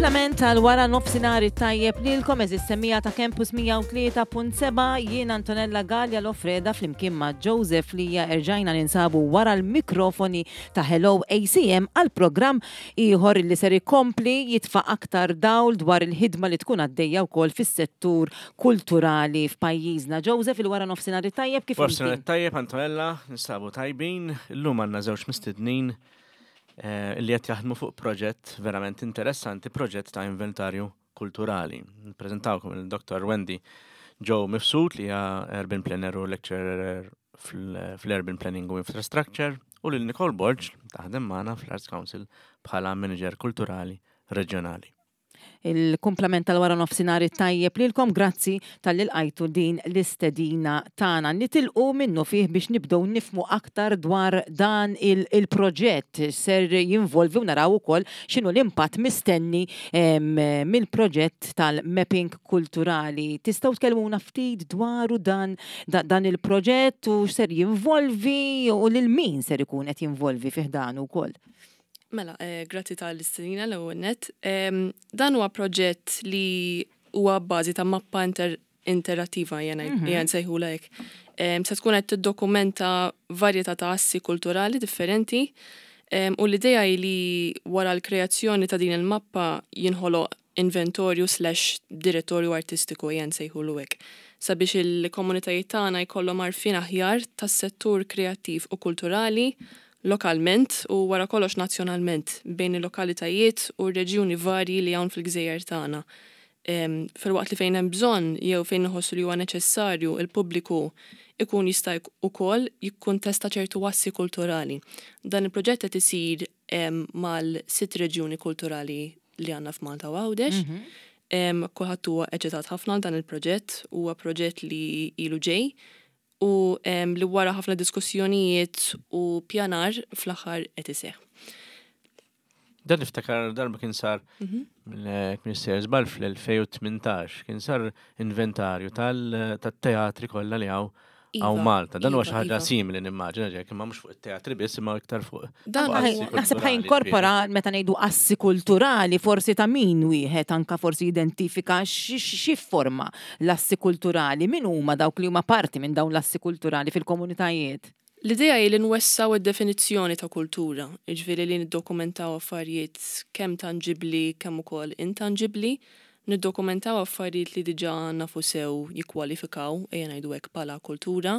Il-kumplament tal-wara nofsinhar it-tajjeb lilkom eżis semmija ta' Campus 103.7 jien Antonella Gallia Lofreda flimkien ma' Joseph Lija erġajna ninsabu wara l-mikrofoni ta' Hello ACM għal programm ieħor li ser ikompli jitfa' aktar dawl dwar il-ħidma li tkun għaddejja wkoll fis-settur kulturali f'pajjiżna. Joseph, il-wara nofsinhar it-tajjeb kif Wara nofsinhar it-tajjeb Antonella, ninsabu tajbin. Illum għandna żewġ mistednin eh, li qed jaħdmu fuq proġett verament interessanti, proġett ta' inventarju kulturali. Nippreżentawkom il-Dr. Wendy Joe Mifsud li hija urban planner u lecturer fl-Urban Planning u Infrastructure u lil Nicole Borg taħdem magħna fl-Arts Council bħala manager kulturali reġjonali. Il-kumplament tal-wara nofsinhar it-tajjeb lilkom, grazzi talli lqajtu din l-istedina tagħna. Nitilqu minnufih biex nibdew nifhmu aktar dwar dan il-proġett x'ser jinvolvi u naraw ukoll x'inhu l-impatt mistenni mill-proġett tal-mapping kulturali. Tistgħu tkellmuna ftit dwaru dan dan il-proġett u x'ser jinvolvi u lil min ser ikun qed jinvolvi fi ħdanu wkoll? Mela, eh, grazzi tal-istedina l-ewwel nett. Dan huwa proġett li huwa bażi ta' mappa inter interattiva jena mm -hmm. nsejħula hekk. Se tkun qed tiddokumenta varjetà ta' assi kulturali differenti u l-idea hi li wara l-kreazzjoni ta' din il-mappa jinħoloq inventorju slash direttorju artistiku ejja nsejħulu hekk, sabiex il-komunitajiet tagħna jkollhom għarfien aħjar tas-settur kreattiv u kulturali lokalment u wara kollox nazzjonalment bejn il-lokalitajiet u r-reġjuni varji li hawn fil-gżejjer tagħna. Filwaqt li fejn hemm bżonn jew fejn inħossu li huwa neċessarju il-pubbliku ikun jista' ukoll jikkuntesta ċertu assi kulturali. Dan il-proġett qed isir mal-sitt reġjuni kulturali li għandna f'Malta u Għawdex. Mhm. Kulħadd huwa eċitat ħafna għal dan il-proġett, huwa proġett li ilu ġej u li wara ħafna diskussjonijiet u pjanar fl-aħħar qed iseħħ. Dan niftakar darba kien sar mhm. mill-Minister Żball fl-2018, kien sar inventarju tal-teatri kollha li hawn Għaw iva, Malta. Dan huwa iva, xi ħaġa iva. simili nimmaġina ġek, imma mhux fuq it-teatri biss imma iktar fuq. Dan naħseb ħa jinkorpora meta ngħidu assi kulturali forsi ta' min wieħed anka forsi identifika xi forma l-assi kulturali, min huma dawk li huma parti minn dawn l-assi kulturali fil-komunitajiet. L-idea hi li nwessgħu d-definizzjoni ta' kultura, jiġifieri li niddokumentaw affarijiet kemm tanġibbli kemm ukoll intanġibbli, niddokumentaw affarijiet li diġà nafu sew jikkwalifikaw, ejja ngħidu hekk, bħala kultura,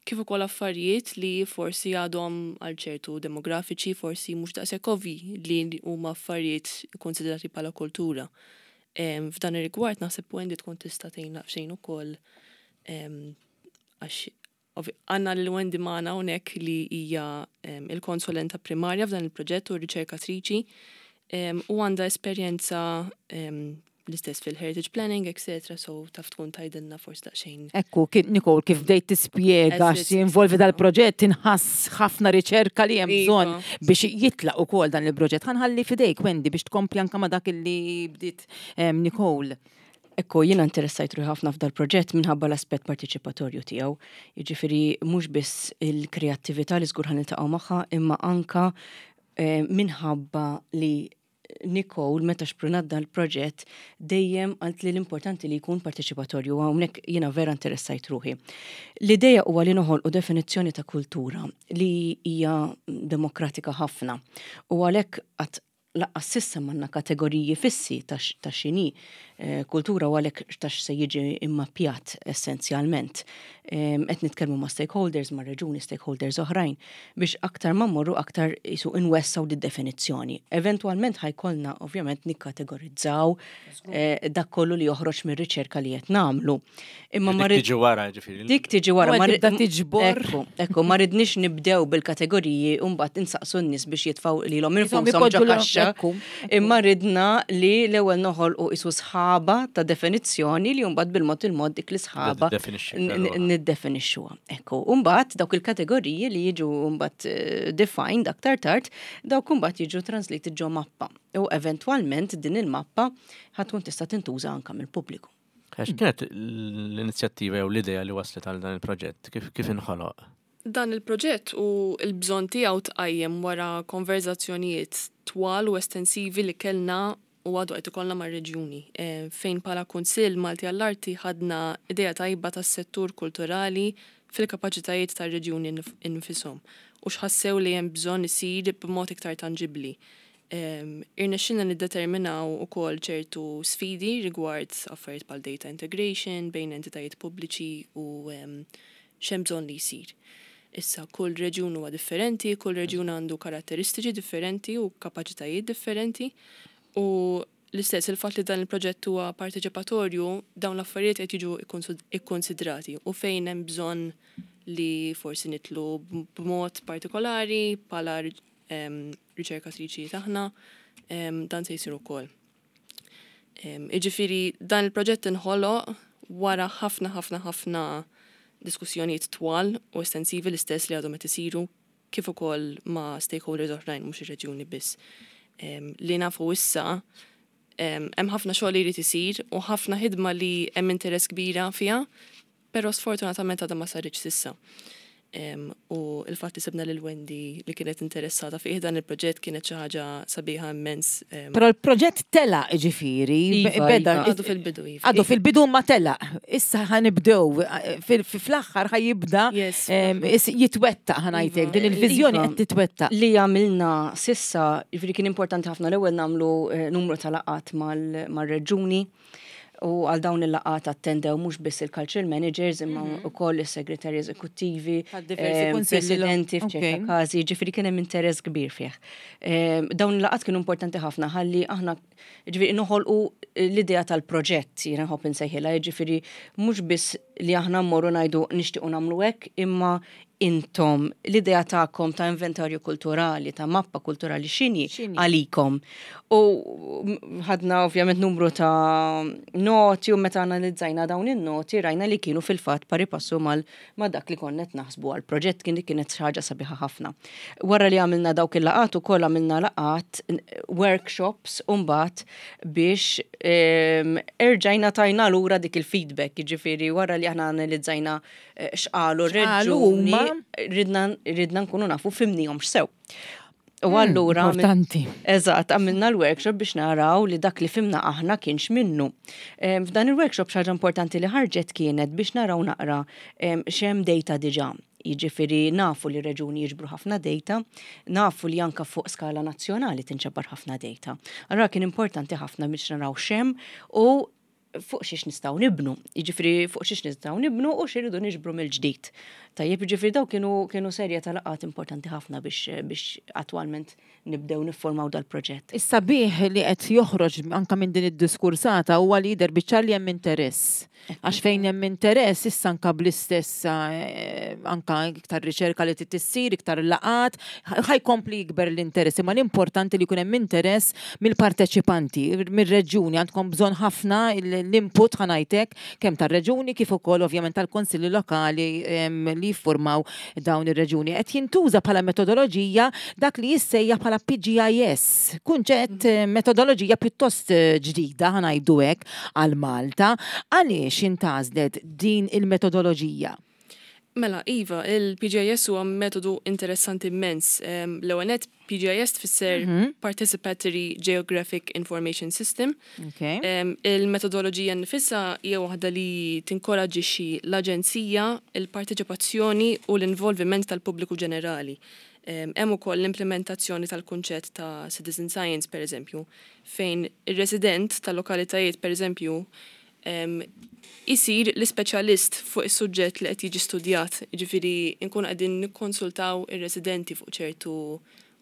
kif ukoll affarijiet li forsi għadhom għal ċertu demografiċi forsi mhux daqshekk ovvji li huma affarijiet ikkunsidrati bħala kultura. F'dan ir-rigward naħseb Wendy tkun tista' tgħinna daqsxejn ukoll għax Għandna lil Wendy magħna hawnhekk li hija il-konsulenta primarja f'dan il-proġett u riċerkatriċi u għandha esperjenza l-istess fil-heritage planning, etc. So taf tkun tgħidilna forsi daqsxejn. Ekku, Nicole, kif bdejt tispjega x'jinvolvi dal-proġett, inħass ħafna riċerka li hemm bżonn iva. biex jitlaq ukoll dan il-proġett. Ħa nħalli f'idejk, Wendy, biex tkompli anke ma' dak li bdiet Nicole. Ekku, jiena interessajt ruħi ħafna f'dal-proġett minħabba l-aspett partiċipatorju tiegħu. Jiġifieri mhux biss il-kreattività li żgur ħa niltaqgħu magħha, imma anka eh, minħabba li Nicole meta xprunat dan il-proġett dejjem għalt li l-importanti li jkun parteċipatorju hawnhekk jiena vera interessajt ruħi. L-idea huwa li noħolqu definizzjoni ta' kultura li hija demokratika ħafna u għalhekk qatt Laqqas s'issa m'għandna kategoriji fissi ta' x'inhi eh, kultura u għalhekk ta' x'se jiġi immappjat essenzjalment. Qed nitkellmu ma' stakeholders, ma' reġuni stakeholders oħrajn biex aktar ma mmorru aktar jisu inwessaw di definizzjoni. Eventwalment ħajkollna ovvjament nikkategorizzaw eh, dak kollu li joħroġ mir-riċerka li qed nagħmlu. Imma ma tiġi wara ġifieri. Dik tiġi wara. Ma tibda tiġbor. Ekku, ekku, ma ridniex nibdew bil-kategoriji u mbagħad insaqsu n-nies biex jitfgħu lilhom infushom ġo kaxxa. Imma ridna li l-ewwel noħolqu isu sħaba ta' definizzjoni li mbagħad bil-mod il-mod dik l-isħaba niddefinixxuha. Ekku, u mbagħad dawk il-kategoriji li jiġu mbagħad eh, defined aktar tard, dawk mbagħad jiġu translated ġo mappa. U eventwalment din il-mappa ħatkun tista' tintuża anka mill-pubbliku. Għax kienet l-inizjattiva jew l-idea li waslet għal dan il-proġett? Kif, kif inħoloq? Dan il-proġett u l-bżonn tiegħu tqajjem wara konverżazzjonijiet twal u estensivi li kellna u għadu qed ikollna mar-reġjuni, fejn bħala Kunsill Malti għall-Arti ħadna idea tajba tas-settur kulturali fil-kapaċitajiet tar-reġjuni nfishom u x'ħassew li hemm bżonn isir b'mod iktar tanġibbli. Irnexxielna niddeterminaw ukoll ċertu sfidi rigward affarijiet bħal data integration bejn entitajiet pubbliċi u x'hemm bżonn li jsir. Issa, kull reġjun huwa differenti, kull reġjun għandu karatteristiċi differenti u kapaċitajiet differenti u l-istess il-fatt li dan il-proġett huwa parteċipatorju, dawn l-affarijiet qed jiġu ikkunsidrati u fejn hemm bżonn li forsi nidħlu b'mod partikolari bħala riċerkatriċi aħna, dan se jsir ukoll. Jiġifieri dan il-proġett inħoloq wara ħafna ħafna ħafna diskussjonijiet twal u estensivi l-istess li għadhom qed isiru kif ukoll ma' stakeholders oħrajn mhux ir-reġjuni biss. Li nafu issa hemm ħafna xogħol li jrid isir u ħafna ħidma li hemm interess kbira fiha, però sfortunatament għadha ma saritx s'issa. U il-fatt li sibna lil Wendy li kienet interessata fih dan il-proġett kienet xi ħaġa sabiħa immens. Però l-proġett telaq ġifieri, Iva, beda. iva. Għadu fil-bidu, iva. Għadu fil-bidu ma telaq. Issa ħa nibdew, fl-aħħar ħa jibda Yes. jitwettaq ħa ngħidlek, Iva. din il-viżjoni Iva. qed titwettaq. Li għamilna s'issa, ġifieri kien importanti ħafna l-ewwel nagħmlu numru ta' laqgħat mal-reġuni. U għal dawn il-laqgħat attendew mhux biss il-cultural managers imma wkoll is-segretarji eżekuttivi, Għal diversi kunsilli lo- presidenti f'ċerta każi, ġifieri kien hemm interess kbir fih. Dawn il-laqgħat kienu importanti ħafna ħalli aħna ġifieri noħolqu l-idea tal-proġett, jiena nħobb insejħilha, ġifieri mhux biss li aħna mmorru ngħidu nixtiequ nagħmlu hekk, imma intom l-idea tagħkom ta' inventarju kulturali, ta' mappa kulturali x'inhi X'inhi? għalikom. U ħadna ovvjament numru ta' noti u meta analizzajna dawn in-noti rajna li kienu fil-fatt pari passu ma' dak li konna qed naħsbu għall-proġett, kien kienet xi ħaġa sabiħa ħafna. Wara li għamilna dawk il-laqgħat ukoll għamilna laqgħat workshops u mbagħad biex erġajna tajna lura dik il-feedback, jiġifieri wara li aħna analizzajna x'qalu X'qalu r-reġuni, huma? ridna nkunu nafu fimnihom x'sew. U allura Importanti. Eżatt, għamilna l-workshop biex naraw li dak li fimna aħna kienx minnu. F'dan il-workshop xi ħaġa importanti li ħarġet kienet biex naraw naqra x'hemm data diġà. Jiġifieri nafu li reġuni jiġbru ħafna data, nafu li anka fuq skala nazzjonali tinġabar ħafna data. Allura kien importanti ħafna biex naraw x'hemm u fuq xiex nistgħu nibnu. Jiġifieri fuq xiex nistgħu nibnu u x'iridu niġbru mill-ġdid. Tajjeb, jiġifieri daw kienu serje ta' laqgħat importanti ħafna biex attwalment nibdew niffurmaw dal-proġett. Is-sabiħ li qed joħroġ anka minn din id-diskursata huwa li jidher biċ-ċar li hemm interess. Għax fejn hemm interess issa anka bl-istess anka iktar riċerka li trid issir, iktar laqgħat, ħajkompli jikber l-interess. Imma l-importanti li jkun hemm interess mill-parteċipanti, mir-reġjuni, għandkom bżonn ħafna l-input ħa ngħidlek kemm tar-reġjuni kif ukoll ovvjament tal-konsilli lokali li jiffurmaw dawn ir-reġjuni. Qed jintuża bħala metodoloġija dak li jissejjaħ bħala PGIS, kunċett metodoloġija pjuttost ġdida ħa ngħidu hekk għal Malta. Għaliex intgħażlet din il-metodoloġija? Mela, Iva, il-PGIS huwa metodu interessanti immens. L-ewwel nett PGIS tfisser Participatory Geographic Information System. Il-metodoloġija nfisha hija waħda li tinkoraġġixxi l-aġenzija, il-parteċipazzjoni u l-involviment tal-pubbliku ġenerali. Hemm ukoll l-implementazzjoni tal-kunċett ta' citizen science, per eżempju, fejn ir-resident tal-lokalitajiet, per eżempju, isir l-ispeċjalist fuq is-suġġett li qed jiġi studjat, jiġifieri nkunu qegħdin nikkonsultaw ir-residenti fuq ċertu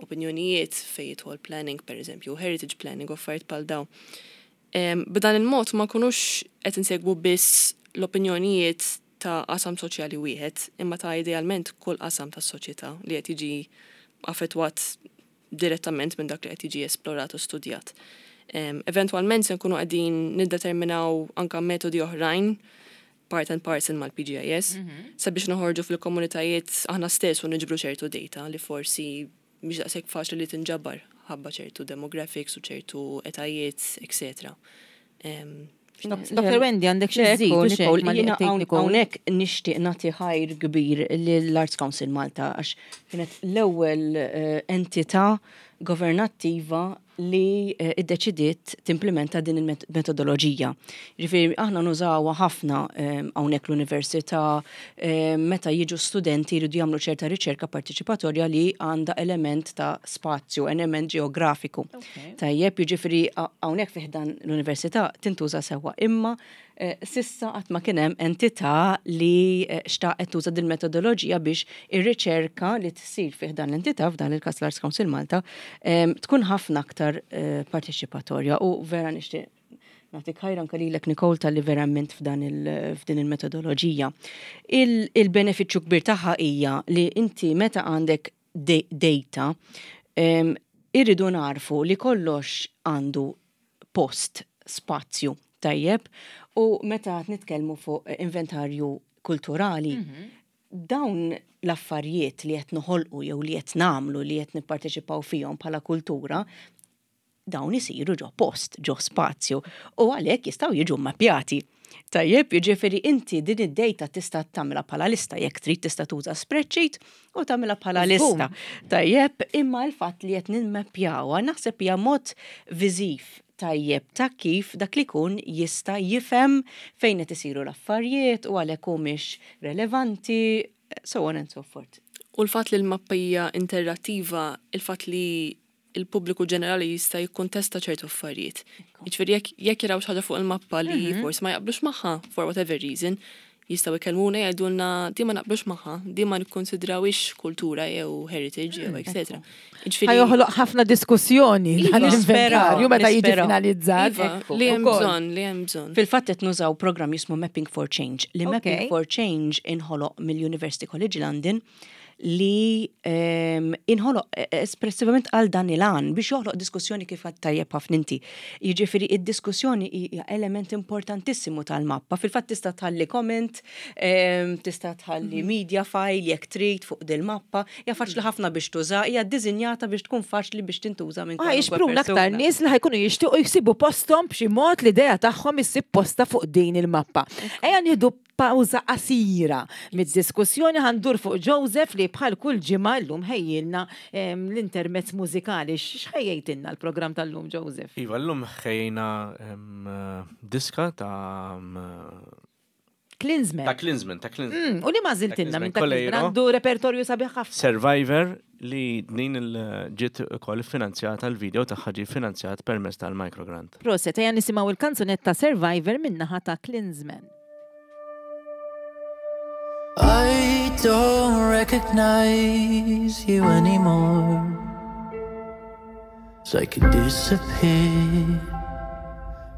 opinjonijiet fejn jidħol planning, per eżempju, heritage planning u affarijiet bħal dawn. B'dan il-mod ma nkunux qed insegwu biss l-opinjonijiet ta' qasam soċjali wieħed, imma ta' idealment kull qasam tas-soċjetà li qed jiġi affettwat direttament minn dak li qed jiġi esplorat u studjat. Eventwalment se nkunu qegħdin niddeterminaw anka metodi oħrajn part and parcel mal-PGIS sabiex noħorġu fil-komunitajiet aħna stess u niġbru ċertu data li forsi mhix daqshekk faċli li tinġabar ħabba ċertu demographics u ċertu etajiet, eccetera. Dr. Wendy, għandek xi żżid, u xejn Nicole, ma li jiena qed tgħid Nicole? hawnhekk nixtieq nagħti ħajr kbir lill-Arts Council Malta għax kienet l-ewwel entità governattiva li iddeċidiet timplementa din il-metodoloġija. Ġifieri aħna nużawha ħafna hawnhekk l-università meta jiġu studenti jridu jagħmlu ċerta riċerka partiċipatorja li għandha element ta' spazju, element ġeografiku. Tajjeb, jiġifieri hawnhekk fi ħdan l-università tintuża sewwa, imma s'issa qatt ma kien hemm entità li xtaqet tuża din il-metodoloġija biex ir-riċerka li tsir fi ħdan l-entità, f'dan il-każ l-Arts Council Malta, tkun ħafna aktar parteċipatorja u vera nixtieq nagħtik ħajra anke lilek Nicole talli verament f'dan f'din il-metodoloġija. Il-benefiċċju kbir tagħha hija li inti meta għandek data irridu narfu li kollox għandu post, spazju, tajjeb, u meta qed nitkellmu fuq inventarju kulturali, dawn l-affarijiet li qed noħolqu jew li qed nagħmlu li qed nipparteċipaw fihom bħala kultura, dawn isiru ġo post, ġo spazju, u għalhekk jistgħu jiġu mmappjati. Tajjeb, jiġifieri inti din id-data tista' tagħmilha bħala lista, jekk trid tista' tuża spreadsheet u tagħmilha bħala lista. Tajjeb, imma l-fatt li qed nimmappjawha naħseb hija mod viżiv tajjeb ta' kif dak li jkun jista' jifhem fejn qed isiru l-affarijiet u għalhekk humiex relevanti, so on and so forth. U l-fatt li l-mappa hija interattiva, il-fatt li il-pubbliku ġenerali jista' jikkuntesta ċertu affarijiet. Jiġifieri jekk jaraw xi ħaġa fuq il-mappa li forsi ma jaqblux magħha for whatever reason, jistgħu jkellmuna jgħidulna di ma naqblux magħha, di ma nikkonsidrawix kultura jew heritage jew etc. Ħa joħloq ħafna diskussjoni dan l-inventarju meta jiġi finalizzat. Iva, li hemm bżonn, li hemm bżonn. Fil-fatt qed nużaw programm jismu Mapping for Change. Li Mapping for Change inħoloq mill-University College London li inħoloq espressivament għal dan il-għan biex joħloq diskussjoni kif għad tajjeb ħafna inti. Jiġifieri id-diskussjoni hija element importantissimu tal-mappa. Fil-fatt tista' tħalli comment, tista' tħalli media file jekk trid fuq dil-mappa, hija faċli ħafna biex tuża, hija ddisinjata biex tkun faċli biex tintuża minn kwalunkwe Jixpruna aktar persuna. nies li ħa jkunu jixtiequ jsibu posthom b'xi mod l-idea tagħhom issib posta fuq din il-mappa. Ejja nieħdu pawża qasira mid-diskussjoni, ħa ndur fuq Joseph li bħal kull ġimgħa llum ħejjilna l-intermezz mużikali. X'ħejjejtilna l-programm tal-lum, Joseph? Iva, llum ħejjejna diska ta' Klinsman. Ta' Klinsman, ta' Klinsman. U li ma żiltilna minn ta' Klinsman, Klinsman għandu repertorju sabiħ ħafna. Survivor li din il-ġiet ukoll finanzjata, l-video tagħha ġie finanzjat permezz tal-microgrant. Proset, ejja nisimgħu il-kanzunetta Survivor min-naħa ta' Klinsman. I don't recognize you anymore. It's like you disappeared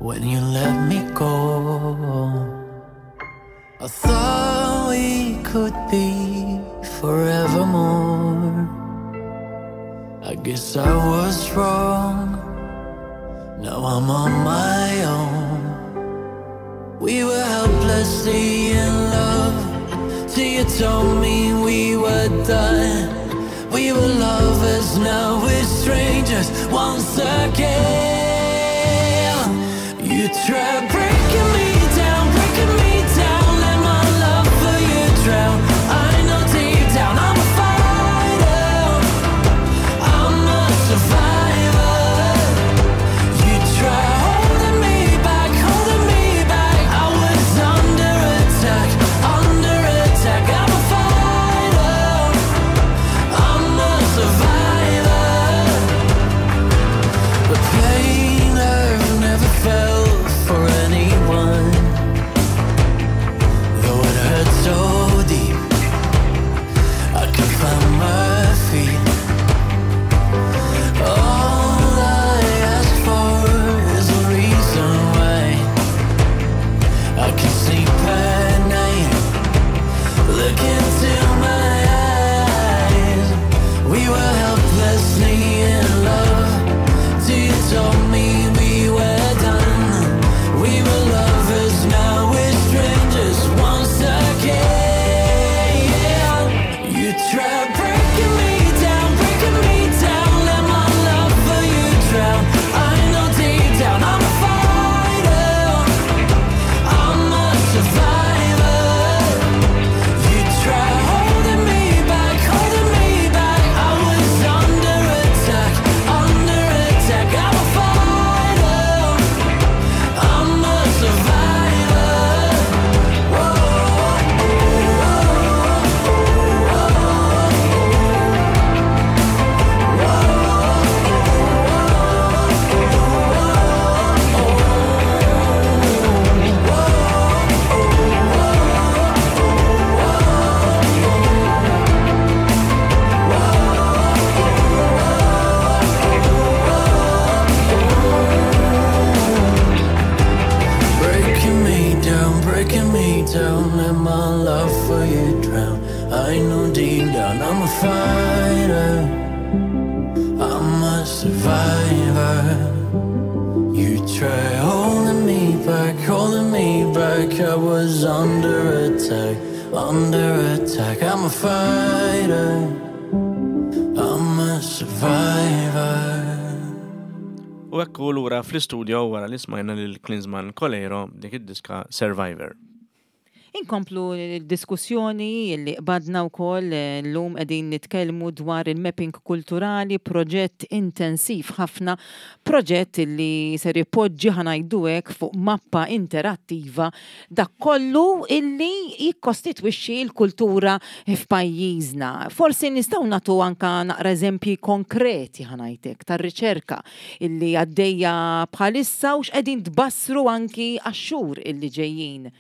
when you let me go. I thought we could be forevermore. I guess I was wrong. Now I'm on my own. We were helplessly in love till you told me we were done. We were lovers, now we're strangers once again. You tried breaking me down, breaking me down. Let my love for you drown. I know deep down I'm a fighter, I'm a survivor. You try holding me back, holding me back. I was under attack, under attack. I'm a fighter, I'm a survivor. The pain I've never felt for anyone, though it hurts so deep, I can find my feet. All I ask for is a reason why I can sleep at night. Look into my eyes. We were helplessly in love till you told me we were done. We were lovers, now we're strangers once again. You tried breaking me down, breaking me down. Let my love for you drown. I know deep down I'm a fighter, I'm a survivor. You try holding me back, holding me back. I was under attack, I'm a fighter, I'm a survivor. You try holding me back, holding me back. I was under attack, under attack. I'm a fighter, I'm a survivor. U ekku lura fl-istudio wara li smajna lil Klinsmann Coleiro dik id-diska Survivor. Inkomplu l-diskussjoni li qbadna wkoll llum qegħdin nitkellmu dwar il-mapping kulturali, proġett intensiv ħafna, proġett li ser ipoġġi ħa ngħidu hekk fuq mappa interattiva dak kollu illi jikkostitwixxi l-kultura f'pajjiżna. Forsi nistgħu nagħtu anka naqra eżempji konkreti ħa ngħid hekk tar-riċerka illi għaddejja bħalissa u x'qegħdin tbassru anki għax-xhur illi ġejjin.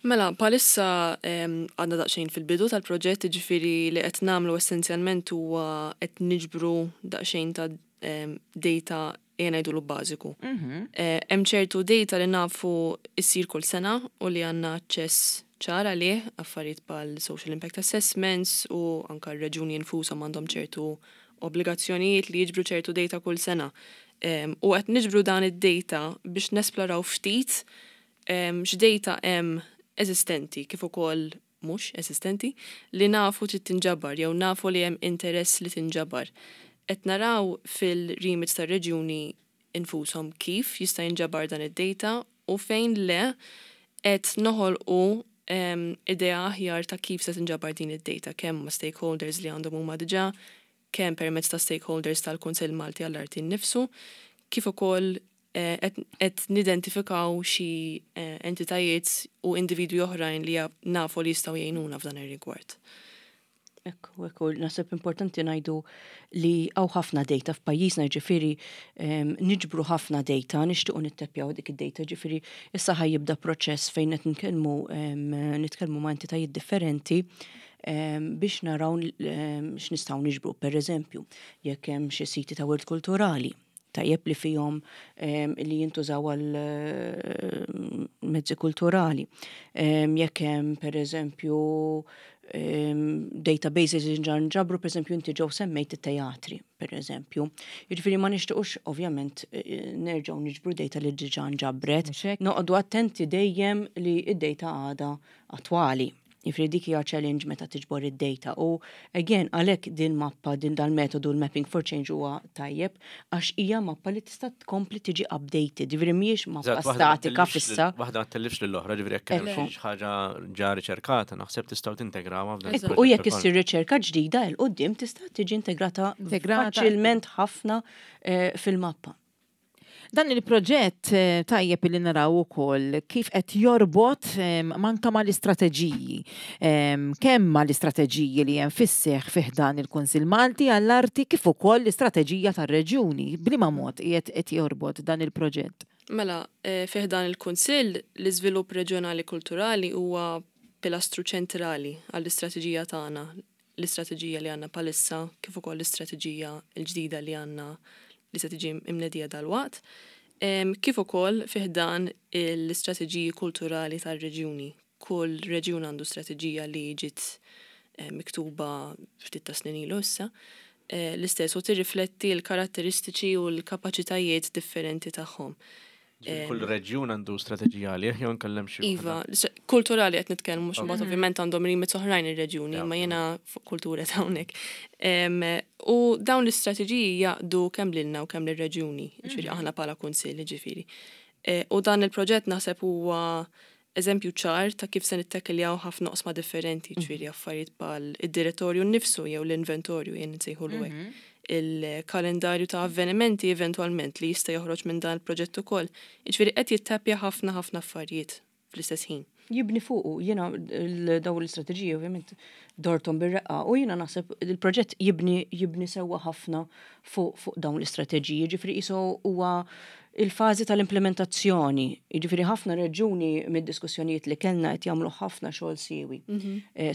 Mela, bħalissa għadna daqsxejn fil-bidu tal-proġett, jiġifieri li qed nagħmlu essenzjalment huwa qed niġbru daqsxejn ta' data ejja ngħidulu bażiku. Hemm ċertu data li nafu issir kull sena u li għandna aċċess ċar għalih, affarijiet bħal social impact assessments u anke r-reġjuni infushom għandhom ċertu obbligazzjonijiet li jiġbru ċertu data kull sena. U qed niġbru dan id-data biex nesploraw ftit x'data hemm eżistenti kif ukoll mhux eżistenti li nafu trid tinġabar jew nafu li hemm interess li tinġabar. Qed naraw fil-remits tar-reġjuni infushom kif jista' jinġabar dan id-data u fejn le qed noħolqu idea aħjar ta' kif se tinġabar din id-data kemm ma' stakeholders li għandhom huma diġà, kemm permezz ta' stakeholders tal-Kunsill Malti għall-Arti nnifsu, kif ukoll qed nidentifikaw xi entitajiet u individwi oħrajn li nafu li jistgħu jgħinuna f'dan ir-rigward. Ekku, ekku, naħseb importanti ngħidu li hawn ħafna data f'pajjiżna, ġifieri niġbru ħafna data, nixtiequ nittepjaw dik id-data, ġifieri issa ħa jibda proċess fejn qed nitkellmu ma' entitajiet differenti biex naraw x'nistgħu niġbru. Per eżempju, jekk hemm xi siti ta' wirt kulturali, tajjeb li fihom li jintużaw għal mezzi kulturali. Jekk hemm per eżempju databases li nġabru, per eżempju inti ġew semmejt it-teatri, per eżempju. Jiġifieri ma nixtiequx ovvjament nerġgħu niġbru data li diġà nġabret. Noqogħdu attenti dejjem li id-data għadha attwali. Jiġifieri dik hija challenge meta tiġbor id-data u again għalhekk din mappa din dal-metodu l-Mapping for Change huwa tajjeb għax hija mappa li tista' tkompli tiġi updated. Jiġifieri mhijiex mappa statika fissa. Waħda ma tellifx lill-oħra, ġifieri jekk hemm xi ħaġa ġa riċerkata, naħseb tistgħu tintegrawha f'dan il-proġett. U jekk issir riċerka ġdida 'l quddiem tista' tiġi integrata faċilment ħafna fil-mappa. Dan il-proġett tajjeb li naraw ukoll kif qed jorbot manka mal-istrateġiji. Kemm mal-istrateġiji li hemm fis-seħħ fih dan il-Kunsill Malti għall-Arti kif ukoll l-istrateġija tar-reġjuni. B'liema mod qiegħed qed jorbot dan il-proġett? Mela, fih dan il-Kunsill l-iżvilupp reġjonali kulturali huwa pilastru ċentrali għall-istrateġija tagħna, l-istrateġija li għandna bħalissa kif ukoll l-istrateġija l-ġdida li għandna li se tiġi imnedija dalwaqt, kif ukoll fih dan l-istrateġiji kulturali tar-reġjuni. Kull reġjun għandu strateġija li ġiet miktuba ftit ta' snin ilu issa. L-istess u tirrifletti l-karatteristiċi u l-kapaċitajiet differenti tagħhom. Kull reġjun għandu strateġija għalih jew nkellem xi Iva, kulturali qed nitkellmu mhux imbagħad ovvjament għandhom remits oħrajn ir-reġjuni, ma jiena fuq kultura ta' hawnhekk. U dawn l-istrateġiji jaqdu kemm lilna u kemm lir-reġjuni, ġifieri aħna bħala kunsill ġifieri. U dan il-proġett naħseb huwa eżempju ċar ta' kif se nittekiljaw ħafna oqsma differenti, ġifieri affarijiet bħal id-direttorju nnifsu jew l-inventorju jien nsejħulu hekk. Il-kalendarju ta' avvenimenti eventwalment li jista' joħroġ minn dan il-proġett ukoll. Jiġifieri qed jittapja ħafna ħafna affarijiet fl-istess ħin. Jibni fuqu, jiena daw l-istrateġiji ovvjament dortom bir-reqqa u jiena naħseb il-proġett jibni sewwa ħafna fuq dawn l-istrateġiji, ġifieri qisu huwa il-fażi tal-implementazzjoni. Jiġifieri ħafna reġuni mid-diskussjonijiet li kellna qed jagħmlu ħafna xogħol siewi.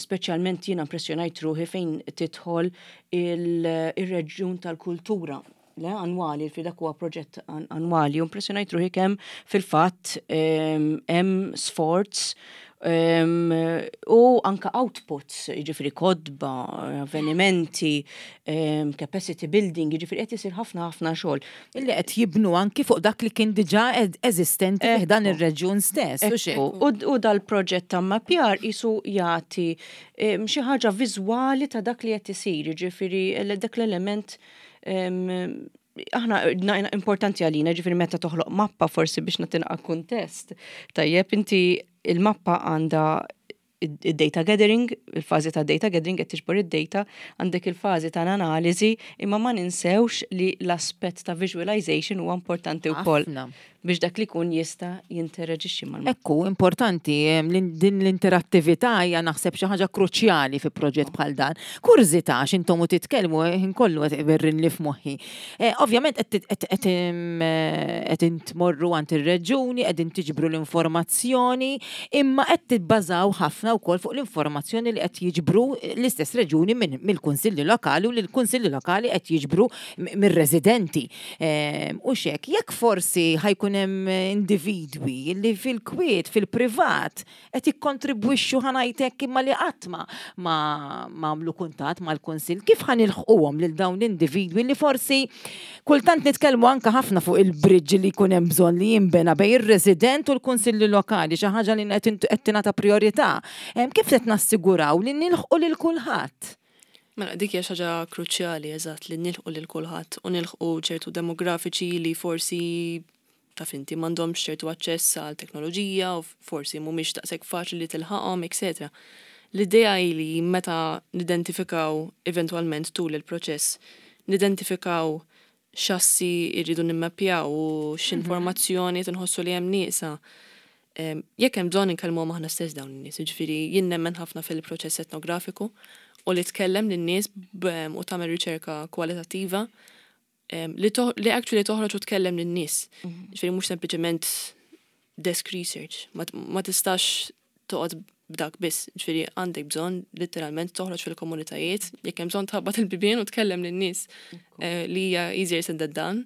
Speċjalment jiena impressjonajt ruħi fejn tidħol il-reġjun tal-kultura le annwali, fi dak huwa proġett annwali, u impressjonajt ruħi kemm fil-fatt hemm sforz U anka outputs, jiġifieri kotba, avvenimenti, capacity building, jiġifieri qed isir ħafna ħafna xogħol. Illi qed jibnu anki fuq dak li kien diġà eżistenti fi ħdan ir-reġjun stess. U dal-proġett ta' mmappjar qisu jagħti xi ħaġa viżwali ta' dak li qed isir, jiġifieri dak l-element aħna importanti għalina, ġifieri meta toħloq mappa forsi biex nagħti naqra kuntest. Tajjeb, inti il-mappa għandha id-data gathering, il-fażi ta' data gathering qed tiġbor id-data, għandek il-fażi ta' analiżi, imma ma ninsewx li l-aspett ta' visualization huwa importanti wkoll. Biex dak li jkun jista' jinteraġixxi mal Ekku, importanti, din l-interattività hija naħseb xi ħaġa kruċjali fi proġett bħal dan. Kurżità għax intom u titkellmu ħin kollu qed iberrinli f'moħħi. Ovvjament qed tmorru għand ir-reġuni, qegħdin tiġbru l-informazzjoni, imma qed tibbażaw ħafna wkoll fuq l-informazzjoni li qed jiġbru l-istess reġuni mill-kunsilli lokali u li l-kunsilli lokali qed jiġbru mir-residenti. U xek, jekk forsi ħa jkun hemm individwi li fil-kwiet, fil-privat, qed jikkontribwixxu ħa ngħidlek imma li qatt ma għamlu kuntatt mal-kunsill, kif ħa nilħquhom lil dawn l-individwi li forsi kultant nitkellmu anke ħafna fuq il-bridge li jkun hemm bżonn li jinbena bejn ir-resident u l-kunsilli lokali, xi ħaġa li qed tingħata priorità. Kif qed nassiguraw li nilħqu lil kulħadd? Mela, dik hija xi ħaġa kruċjali, eżatt, li nilħqu lil kulħadd u nilħqu ċertu demografiċi li forsi taf inti m'għandhomx ċertu aċċess għal teknoloġija u forsi mhumiex daqshekk faċli li tilħaqhom, etc. L-idea hi li meta nidentifikaw eventwalment tul il-proċess, nidentifikaw x'assi rridu nimmappjaw u x'informazzjoni qed inħossu li hemm nieqsa. Jekk hemm bżonn inkellmuhom aħna stess dawn in-nies, jiġifieri jien nemmen ħafna fil-proċess etnografiku u li tkellem lin-nies u tagħmel riċerka kwalitattiva li li actually toħroġ u tkellem lin-nies. Jiġifieri mhux sempliċement desk research, ma tistax toqgħod b'dak biss, ġifieri għandek bżonn litteralment toħroġ fil-komunitajiet, jekk hemm bżonn tħabbat il-bibien u tkellem lin-nies li hija easier said than done,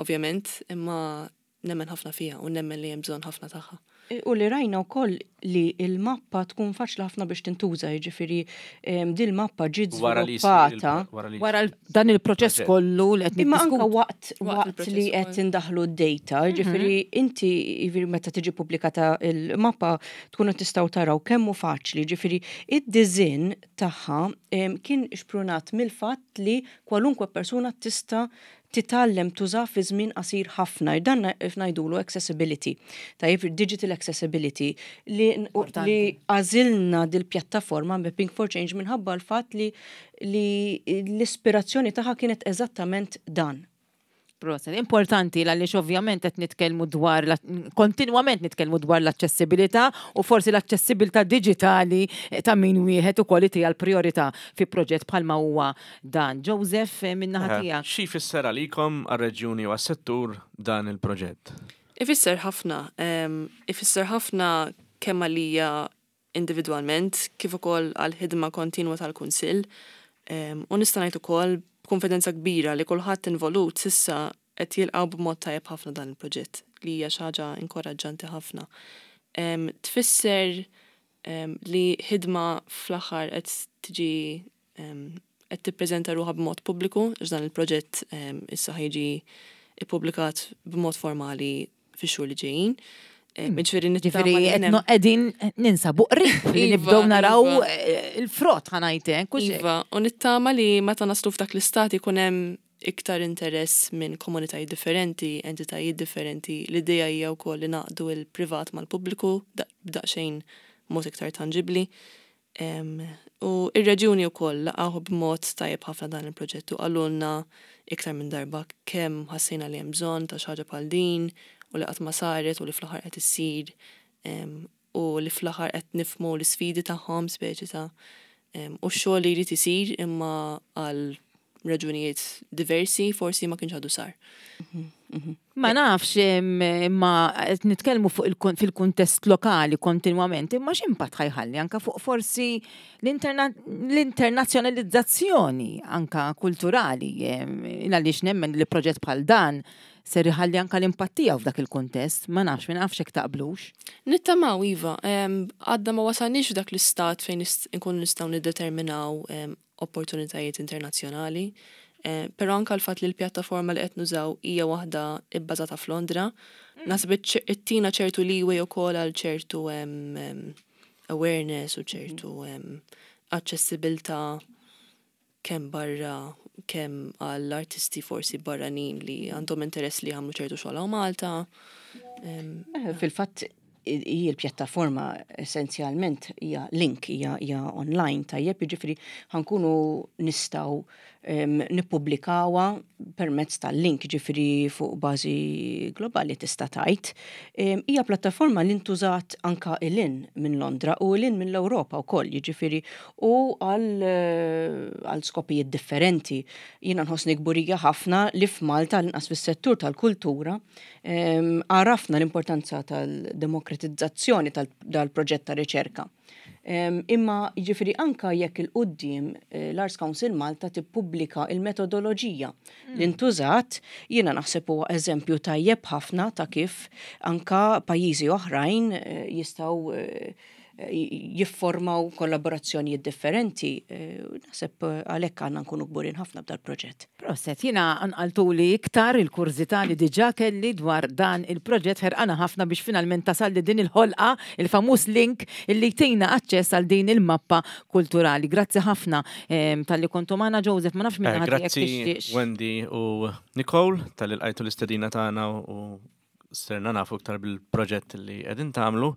ovvjament, imma nemmen ħafna fiha u nemmen li hemm bżonn ħafna tagħha. U li rajna wkoll li l-mappa tkun faċli ħafna biex tintuża, jiġifieri din il-mappa ġiet żviluppata. Wara dan il-proċess kollu li qed Imma anke waqt waqt li qed indaħħlu d-data, jiġifieri inti jiġifieri meta tiġi pubblikata l-mappa tkunu tistgħu taraw kemm hu faċli, jiġifieri id-disinn tagħha kien xprunat mill-fatt li kwalunkwe persuna tista' titgħallem tużah fi żmien qasir ħafna. Dan ngħidulu accessibility. Tajjeb, digital accessibility li li għażilna dil-pjattaforma Mapping for Change minħabba l-fatt li li l-ispirazzjoni tagħha kienet eżattament dan. Proset, importanti għaliex ovvjament qed nitkellmu dwar kontinwament nitkellmu dwar l-aċċessibilità u forsi l-aċċessibilità diġitali ta' min wieħed ukoll itiha l-priorità fi proġett bħalma huwa dan. Joseph, min-naħa tiegħek. Xi jfisser għalikom, għar-reġjuni u għas-settur dan il-proġett? Ifisser ħafna. Ifisser ħafna kemm għalija individwalment kif ukoll għall-ħidma kontinwa tal-Kunsill. U nista' ngħid ukoll b'kunfidenza kbira li kulħadd involut s'issa qed jilqgħu b'mod tajjeb ħafna dan il-proġett, li hija xi ħaġa inkoraġġanti ħafna. Tfisser li ħidma fl-aħħar qed tiġi qed tippreżenta ruħha b'mod pubbliku, għax dan il-proġett issa ħa jiġi ppubblikat b'mod formali fix-xhur li ġejjin. Ġifieri nittama li hemm. Qegħdin ninsabu qrib li iva, nibdew naraw iva. Eh, il-frott ħa ngħidlek. Iva, u nittama li meta naslu f'dak l-istat ikun hemm iktar interess minn komunitajiet differenti, entitajiet differenti. L-idea hija wkoll li naqdu il-privat mal-pubbliku b'daqsxejn mod iktar tanġibbli. U ir-reġjuni wkoll laqgħuh b'mod tajjeb ħafna dan il-proġett u qalulna iktar minn darba kemm ħassejna li hemm bżonn ta' xi ħaġa bħal din u li qatt ma saret u li fl-aħħar qed issir u li fl-aħħar qed nifhmu l-isfidi tagħhom speċi ta' u x-xogħol li jrid isir imma għal raġunijiet diversi forsi ma kienx għadu sar. Ma nafx imma qed nitkellmu fuq fil-kuntest lokali kontinwament, imma x'impatt ħa jħalli anka fuq forsi l-internazzjonalizzazzjoni anka kulturali, għaliex nemmen li proġett bħal dan ser iħalli anka l-impatt tiegħu f'dak il-kuntest, ma nafx, ma nafx hekk taqblux. Nittamaw iva, għadna ma wasalniex f'dak l-istat fejn nkunu nistgħu niddeterminaw opportunitajiet internazzjonali, però anka l-fatt li l-pjattaforma li qed nużaw hija waħda bbażata f'Londra, naħseb ittina ċertu leeway ukoll għal ċertu awareness u ċertu aċċessibilità kemm barra kemm għall artisti forsi barranin li għandhom interess li jagħmlu ċertu xogħol hawn Malta. Fil-fatt hi l-pjattaforma essenzjalment hija link, hija online tajjeb, jiġifieri ħankunu nistgħu nippubblikawha permezz tal-link, jiġifieri fuq bażi globali tista' tgħid. Hija pjattaforma li ntużat anka 'l hinn minn Londra u 'l hinn mill-Ewropa wkoll, jiġifieri u għal skopijiet differenti. Jiena nħossni kburija ħafna li f'Malta l-inqas fis-settur tal-kultura għarafna l-importanza tal-demokratizzazzjoni tal-proġett ta' riċerka. Imma jiġifieri anka jekk il-quddiem eh, l-Arts Council Malta tippubblika il-metodoloġija li ntużat, jiena naħseb huwa eżempju tajjeb ħafna ta' kif anka pajjiżi oħrajn eh, jistgħu eh, jifformaw kollaborazzjonijiet differenti. Naħseb għalhekk għandna nkunu kburin ħafna b'dal-proġett. Proset, jiena qanqaltuli iktar il-kurżità li diġà kelli dwar dan il-proġett ħerqana ħafna biex finalment tasalli din il-ħolqa, il-famuż link illi jtina aċċess għal din il-mappa kulturali. Grazzi ħafna talli kontu magħna Joseph, ma nafx minn ħadd jekk tixtieqx. Grazzi Wendy u Nicole talli lqajtu l-istedina tagħna u Sirna nafu iktar bil-proġett li qegħdin tagħmlu.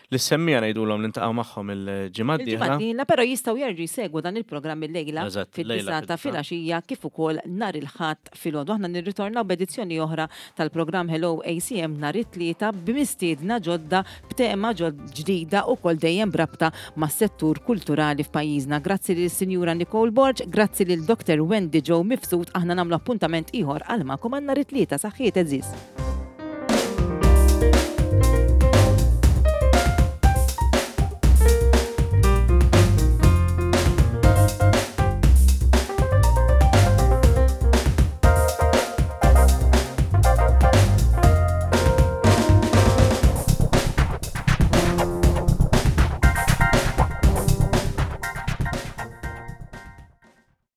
Lis-semmiegħa ngħidulhom li ntaqgħu magħhom il-ġimgħa d-dieħla. Il-ġimgħa d-dieħla, però jistgħu jerġgħu jsegwu dan il-programm illejla fid-disgħa ta' filgħaxija kif ukoll nhar il-Ħadd filgħodu. Aħna nirritornaw b'edizzjoni oħra tal-programm Hello ACM nhar it-Tlieta b'mistiedna ġodda b'tema ġdida ukoll dejjem b'rabta mas-settur kulturali f'pajjiżna. Grazzi lis-Sinjura Nicole Borg, grazzi lil Dr. Wendy Jo Mifsud, aħna nagħmlu appuntament ieħor għal magħkom għal nhar it-Tlieta. Saħħiet għeżież.